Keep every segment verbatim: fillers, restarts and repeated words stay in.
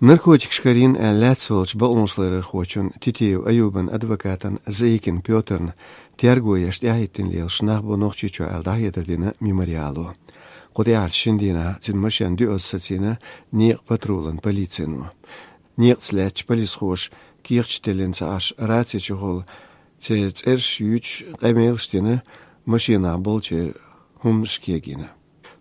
Наркотикаш карийна аьлла лаьцна волчу бакъонашларъярхочун Титиев Аюбан адвокатан Заикин Пётрна терго еш тӀаьхьахӀиттина лелаш нах бу Нохчийчохь аьлла дӀахьедар дина Мемориало. Кху тӀаьхьарчу шина дийнахь цуьнан машен доьазза сацийна некъан патрулан полицино. Некъаца лаьттачу полисхоша кехаташ теллина ца Ӏаш, раци чухула церан цӀераш юьйцуш къамелаш дина, машенахь болчеран хӀуманаш кегийна.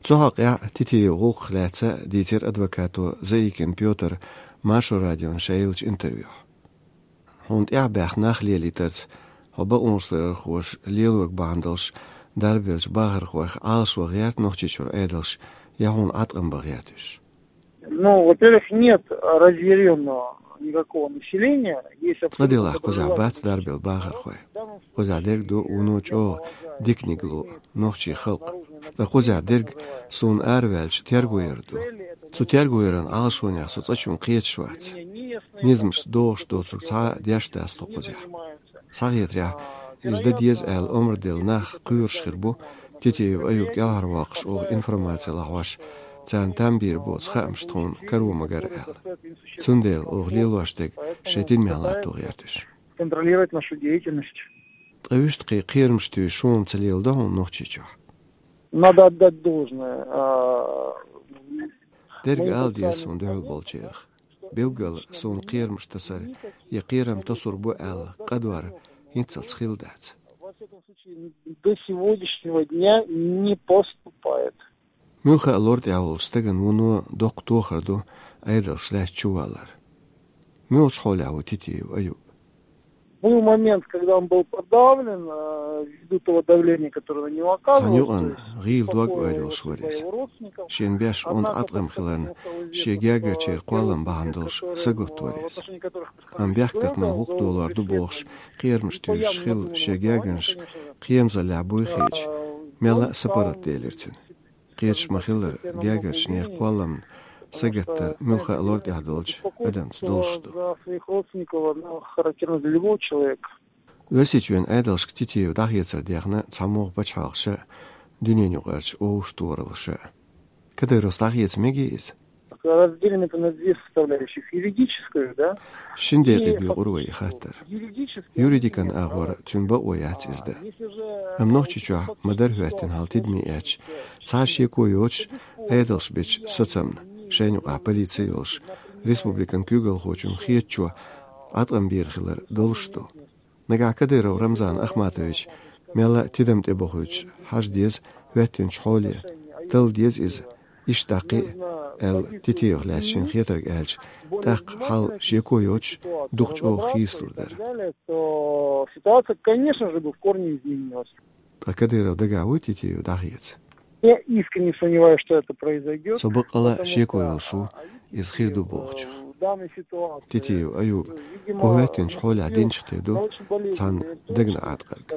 Цу хьокъехь Титиев гӀуллакхах лаьцна дийцира адвокато Заикин Пётра Маршо радиона ша еллачу интервьюхь. Хьуна тӀаьхьа баьхна нах лелийтарца, хьо бакъонашларъярхоша лелориг бахьана долуш дарбеллачу бахархойх Ӏалашван гӀерта Нохчийчуьра Ӏедалш, я хьуна Ӏаткъам бан гӀерта уьш? Ну, во-первых, нет разъярённого никакого населения. Есть... Цкъа делахь, кхузахь бац дарбелла бахархой. Кхузахь дерг ду вуно чӀогӀа диканиг ло нохчийн халкъ. Ткъа кхузахь дерг суна араваьлча терго яр ду. Цу терго яран Ӏалашонех со цкъачунна кхеташ вац. Низамашца догӀуш доцург цхьа а деш дац тхо кхузахь. Схьахетарехь, иза дан деза аьлла омра делла нах кхоьруш хир бу, Титиев Аюб кӀелхьарвоккхуш оха информаци лахьош, царна там бийр боцу хаамаш тхуна каро ма гара аьлла. Цундела оха лелош дерг шайн тидамехь латто гӀерта уьш. Контролировать нашу деятельность. Ткъа уьш тхе кхерамаш туьйсуш хӀума ца леладо хьуна Нохчийчохь? Надо отдать должное, а, дерг ала деза суна дуьхьал болчарах. Билггал суна кхерамаш тасар я кхерам тасор бу аьлла къадор хӀинццалц хилла дац. Во всяком случае, до сегодняшнего дня не поступает. Муьлхха а лор тӀехь волчу стагана вуно доккха тохар ду Ӏедалша лаьцна чувалар. Муьлхачу хьолехь ву Титиев Аюб? Был момент, когда он был подавлен, э, ввиду того давления, которое на него оказывалось. Цхьана юкъана гӀийла дог ойла йолуш вара иза. Шен беш онда Ӏаткъам хиларна, шен гергарчеран кхоллам бахьана долуш сагатта вара иза. Амма бехктакхаман гӀуллакх долор ду бохуш, кхерамаш туьйсуш хилла шен гергарнаш кхерамзаллехь буй хеташ, мелла а сапаргӀат делира цуьнан. Кхеташ ма-хиллара, гергарчу нехан кхолламна сагаттар муьлхха а лор тӀехь долчу адамца долуш ду. За своих родственников, оно характерно для любого человека. Оьрсийчоьнан Ӏедалшка Титиев дӀахецар дехна цхьамогӀа пачхьалкхаша а, дуьненаюкъарчу вовшахтохараллаша а. Кадыровс дӀахеца мегий иза? Разделим это на две составляющих. Юридическую, да? Шина декъе буьйцур вай и хаттар. Юридически. Юридикан агӀор цуьнан бакъо яц иза дан. Амма Нохчийчохь ма-дарра хӀоьттина хьал тидаме эцча, цхьа а шеко йоцуш, Ӏедалша бечу сацамна, шайна юкъахь полици йолуш, республикан куьйгалхочунна хетачо Ӏаткъам бийр хилар долуш ду. Нагахь Кадыров Рамзан Ахматович мелла а тидам тӀебохуьйтуш хьажа деза хӀоьттинчу хьоле, талла деза иза, иштта дӀакхиа, аьлла, Титиевх лаьцна шена хетарг аьлча, тӀаккха хьал шеко йоцуш, дукха чӀогӀа хийцалур дара. То ситуация, конечно же, бы в корне изменилась. Ткъа Кадыров дагахь вуй Титиев дӀахеца? Я искренне сомневаюсь, что это произойдёт. Со баккъала а шеко йолуш ву, иза хир ду бохучух. Титиев Аюба кху хӀоьттинчу хьолехь динчух тера ду цхьана дагна Ӏаткъарг.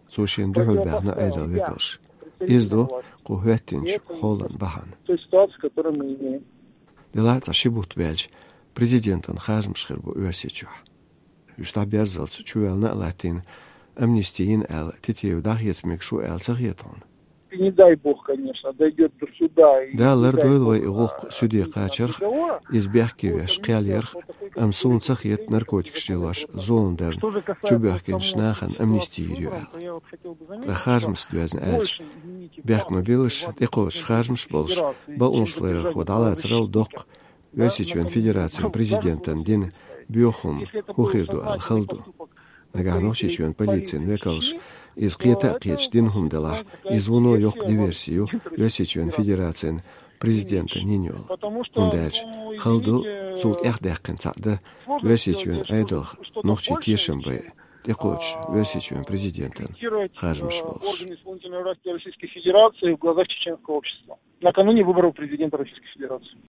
Цо шена дуьхьал баьхна Ӏедалан векалш. Иза ду кху хӀоьттинчу хьолан бахьана. Той ситуации, которую мы имеем. Делахь а цхьа ши бутт баьлча, президентан харжамаш хир бу Оьрсийчохь. Уьш дӀаберзалц чувоьллина а латтийна, амнисти йина аьлла, Титиев дӀахеца мегаш ву аьлла ца хета хьуна? Не дай бог, конечно, дойдёт до суда и... Дала лардойла вай и гӀуллакх суьде кхачарх, иза бехке веш кхел ярх, амма суна ца хета наркотикаш лелош зулам дарна чубоьхкинчу нахана амнисти йийр ю аьлла. Ткъа харжамашца доьзна аьлча, бехк ма биллалаш, тӀекхочуш харжамаш болуш, бакъонашларъярхо дӀалацарал доккха Оьрсийчоьнан Федерацин президентана дина боьха хӀума хӀун хир ду аьлла хала ду. Нагахь Нохчийчоьнан полицин векалш иза кхета а кхеташ дина хӀума делахь, иза вуно йоккха диверси ю Оьрсийчоьнан Федерацин президентана йина йолу. ХӀунда аьлча хала ду цул тӀехдаьккхина цхьаъ дан Оьрсийчоьнан Ӏедалх нохчий тешам бай, тӀекхочуш Оьрсийчоьнан президентан харжамаш болуш. Органы исполнительной власти Российской Федерации в глазах чеченского общества накануне выборов президента Российской Федерации.